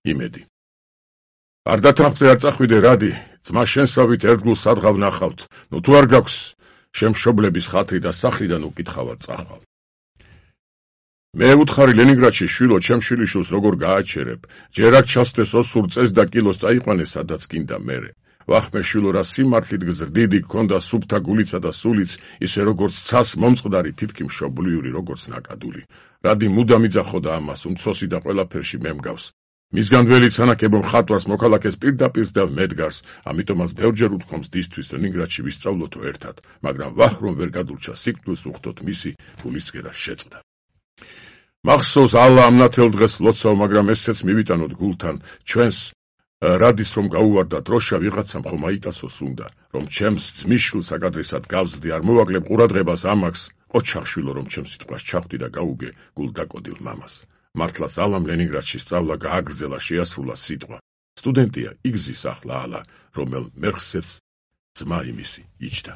იმედი. არ დათანხმდე, არ წახვიდე, რადი, ძმა შენსავით ერთგულ სადღავ ნახავთ, ნუ თუ არ გაქვს შემშობლების ხათრი და სახლიდან უკითხავად წახვალ. მე უთხარი ლენინგრადში შვილო, ჩემ შვილიშვილს როგორ გააჩერებ, ჯერ აქ ჩასვდეს ოსურ წეს და კილოს წაიყვანე სადაც გინდა მერე. ვახმე შვილო, რა სიმართლით გზრდიდი გქონდა სუფთა გულიცა და სულიც, ისე როგორც ცას მომწყდარი ფიფკი მშობლიური, როგორც ნაკადული. რადი მუდამ იძახოდა ამას, უმცროსი და ყველაფერში მე მგავს. მისგან ველი ცანაკებო მხატვარს მოქალაქეს პირდაპირ და მედგარს, ამიტომაც ბევრჯერ უთქვამს დისთვის ლენინგრადში ვისწავლოთო ერთად, მაგრამ ვახ რომ ვერ გადურჩა სიკვდილს უხდოთ მისი გულისკერა შეწყდა. მახსოვს ალა ამ ნათელ დღეს ლოცავ, მაგრამ ესეც მივიტანოთ გულთან, ჩვენს რადის რომ გაუვარდა დროშა ვიღაცამ ხომ აიტაცოს უნდა, რომ ჩემს ძმისშვილს აკადრესად გავზდი, არ მოვაკლებ ყურადღებას ამაკს, ყოჩახშვილო რომ ჩემს სიტყვას ჩახვდი და გაუგე გულდაკოდილ მამას. მართლაც ალამ ლენინგრადში სწავლა გააგრძელა, შეასრულა სიტყვა. სტუდენტია იგზის ახლა ალა, რომელ მერხსეც ძმა იმისი იჯდა.